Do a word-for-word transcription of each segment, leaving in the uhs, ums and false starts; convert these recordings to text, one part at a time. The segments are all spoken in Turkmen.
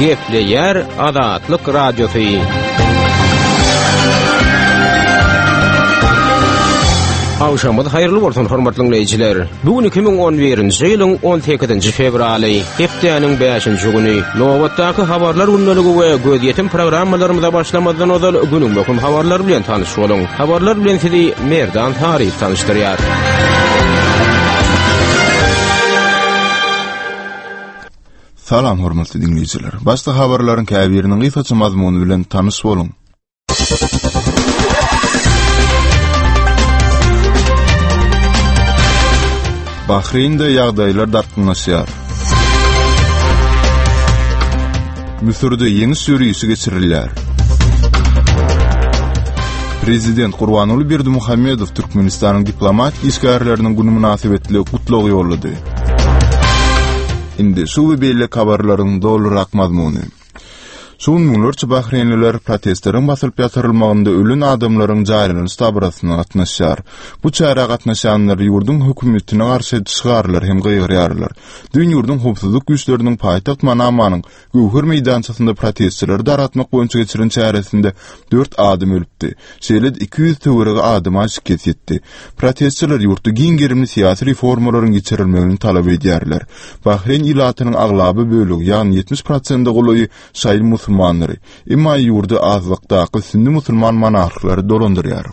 Gepleýär Azatlyk Radiosy. Agşamyňyz haýyrly bolsun hormatly dinleýjiler. Bu gün iki müň on birinji ýylyň on sekizinji fewraly, hepdäniň bäşinji güni. Nobatdaky habarlar gündeligi we gözýetim programmalarymyza başlamazdan ozal günüň möhüm habarlary bilen tanyş boluň. Habarlar bilen sizi Merdan Taryf tanyşdyrýar. Salam hormatly dinleýjiler. Başda habarlaryň käbiriniň gysgaça mazmuny bilen tanyş boluň. Bahreýnde ýagdaýlar dartgynlaşýar. Müsürde ýeňiş ýörişi geçirilýär. Prezident Gurbanguly Berdimuhamedow Türkmenistanyň diplomatik işgärleriniň güni mynasybetli gutlag ýollady. Indi şu we beýleki habarlaryň dolurak mazmuny. Şu gün müňlerçe bahreýnliler protestleriň basylyp ýatyrylmagynda ölen adamlaryň jaýlanyş dabarasyna gatnaşýar. Bu çärä gatnaşýanlar ýurduň hökümetine garşy şygarlar hem gygyrýarlar. Düýn ýurduň howpsuzlyk güýçleriniň paýtagt Manamanyň Göwher meýdançasynda protestçileri dargatmak boýunça geçiren çäresinde dört adam ölüpdi. Şeýle-de iki ýüz töweregi adama şikes ýetdi. Protestçiler ýurtda giň gerimli syýasy reformalaryň geçirilmegini talap edýärler. Bahreýn ilatynyň aglaba bölegi, ýagny ýetmiş prosente golaýy şaýy musulmanlary. Emma ýurdy azlykdaky sünni musulman monarhlary dolandyrýar.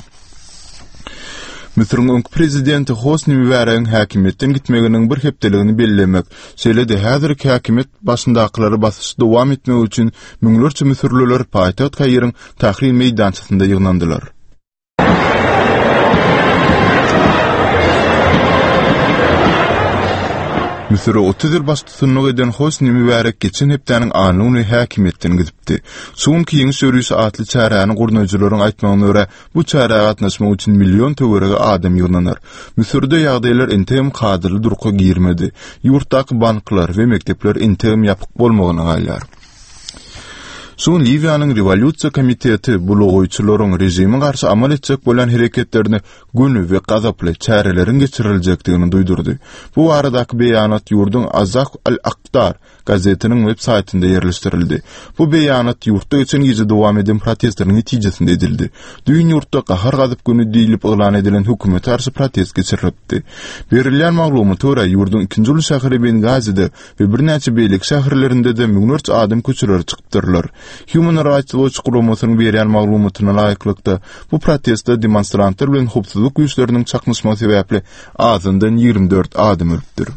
Müsüriň öňki prezidenti Hosni Mübäregiň häkimiýetden gitmeginiň bir hepdeligini bellemek, şeýle-de häzirki häkimiýet başyndakylary basyşy dowam etmek üçin müňlerçe müsürliler paýtagt Kairiň Tahrir meýdançasynda ýygnandylar. Müsüre otuz ýyl baştutanlyk eden Hosni Mübärek geçen hepdäniň anna güni häkimiýetden gidipdi. Şu günki Ýeňiş ýörişi atly çäräni gurnaýjylaryň aýtmagyna görä, bu çärä gatnaşmak üçin million töweregi adam ýygnanar. Müsürde ýagdaýlar entegem kadaly durka girmedi. Ýurtdaky banklar we mekdepler entegem ýapyk bolmagyna galýar. Şu gün Liwiýanyň Rewolýusiýa komiteti bulagaýçylaryň režime garşy amal etjek bolýan hereketlerine göni we gazaply çäreleriň geçiriljekdigini duýdurdy. Bu baradaky beýanat ýurduň Azah al-Akdar gazetiniň web saýtynda ýerleşdirildi. Bu beýanat ýurtda geçen gije dowam eden protestleriň netijesinde edildi. Düýn ýurtda gahar-gazap güni diýlip yglan edilen hökümete garşy protest geçirilipdi. Berilýän maglumata görä, ýurduň ikinji uly şäheri Bengazide we birnäçe beýleki şäherlerinde-de müňlerçe adam köçelere çykypdyrlar. Human Rights Watch guramasynyň berýän maglumatyna laýyklykda, bu protestde demonstrantlar bilen howpsuzlyk güýçleriniň çaknyşmagy sebäpli azyndan ýigrimi dört adam ölüpdir.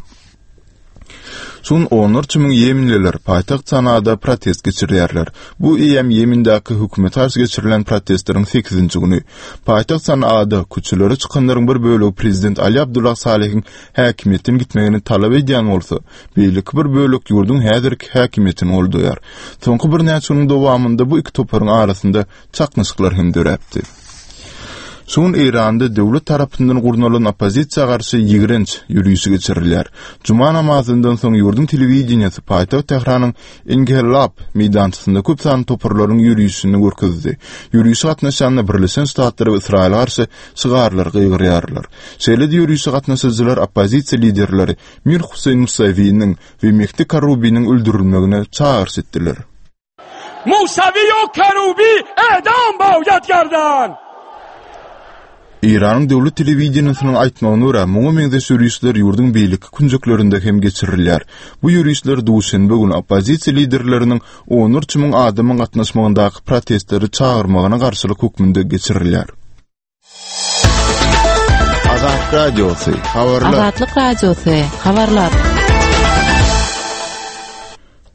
Şu gün onlarça müň ýemenliler paýtagt Sanada protest geçirýärler. Bu eýýäm Ýemendäki hökümete garşy geçirilen protestleriň sekizinji güni. Paýtagt Sanada köçelere çykanlaryň bir bölegi prezident Ali Abdullah Salehiň häkimiýetden gitmegini talap edýän bolsa, beýleki bir bölek ýurduň häzirki häkimiýetini goldaýar. Soňky birnäçe günüň dowamynda bu iki toparyň arasynda çaknyşyklar hem döräpdi. Şu gün Eýranda döwlet tarapyndan gurnalan oppozisiýa garşy ýigrenç ýörişi geçirilýär. Juma namazyndan soň ýurduň telewideniýesi paýtagt Tähranyň Enghelab meýdançasynda köp sanly toparlaryň ýörişini görkezdi. Ýörişe gatnaşýanlar Birleşen Ştatlara we Ysraýyla garşy şygarlar gygyrýarlar. Şeýle-de ýörişe gatnaşyjylar oppozisiýa liderleri Mir Huseýn Musawiniň we Mehdi Karubiniň öldürilmegine çagyryş etdiler. Musawi we Karubi edam boýad gerdan! Eýranyň döwlet telewideniýesiniň aýtmagyna görä, muňa meňzeş ýörişler ýurduň beýleki künjeklerinde hem geçirilýär. Bu ýörişler duşenbe güni oppozisiýa liderleriniň onlarça müň adamyň gatnaşmagyndaky protestleri çagyrmagyna garşylyk hökmünde geçirilýär. Azatlyk Radiosy, habarlar. Azatlyk Radiosy, habarlar.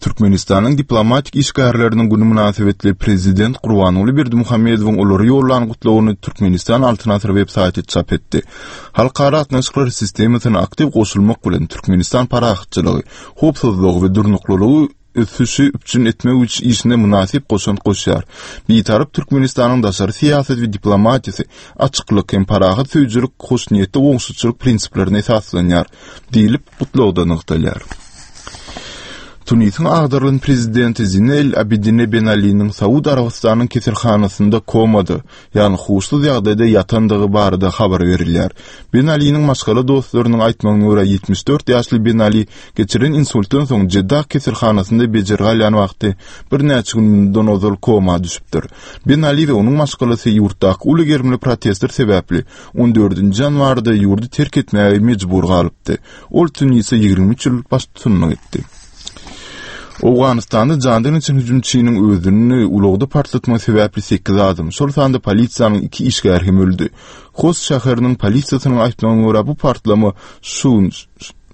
Türkmenistanyň diplomatik işgärleriniň güni mynasybetli prezident Gurbanguly Berdimuhamedowyň olara ýollan gutlagyny Türkmenistan Altyn Asyr web saýty çap etdi. Halkara gatnaşyklar sistemasyna aktiw goşulmak bilen Türkmenistan parahatçylygy, howpsuzlygy we durnuklylygy ösüşi üpjün etmek üçin işine mynasyp goşant goşýar. Bitarap Türkmenistanyň daşary syýasaty we diplomatiýasy açyklyk hem parahat söýüjilik, hoşniýetli goňşuçylyk prinsiplerine esaslanýar diýlip, gutlagda nygtalýar. Tunisiň agdarylan prezidenti Zine El Abidine Ben Aliniň Saud Arabystanyň keselhanasynda komada, ýagny huşsuz ýagdaýda ýatandygy barada habar berilýär. Ben Aliniň maşgala dostlarynyň aýtmagyna görä, ýetmiş dört ýaşly Ben Ali geçiren insultdan soň Jeddah keselhanasynda bejergi alýan wagty birnäçe gün mundan ozal koma düşüpdir. Ben Ali we onuň maşgalasy ýurtdaky uly gerimli protestler sebäpli on dördünji ýanwarda ýurdy terk etmäge mejbur galypdy. Ol Tunise ýigrimi üç ýyl baştutanlyk etdi. Owganystanda jandan geçen hüjümçiniň özüni ulagda partlatmagy sebäpli sekiz adam, şol sanda polisiýanyň iki işgäri hem öldi. Host şäheriniň polisiýasynyň aýtmagyna görä, bu partlama şu gün,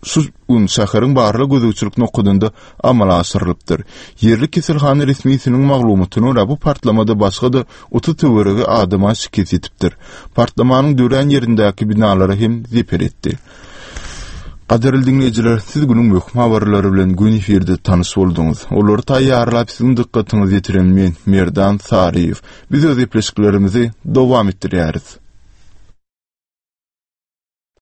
şu gün şäheriň barlag gözegçilik nokadynda amala aşyrylypdyr. Ýerli keselhana resmisiniň maglumatyna görä, bu partlamada başga-da otuz töweregi adama şikes ýetipdir. Partlamanyň dörän ýerindäki binalara hem zeper etdi. Gadyrly diňleýjiler, siz günüň möhüm habarlary bilen gün efirde tanyş bolduňyz. Olary taýýarlap siziň dykgatyňyza ýetiren men, Merdan Saryýew. Biz öz gepleşiklerimizi dowam etdirýäris.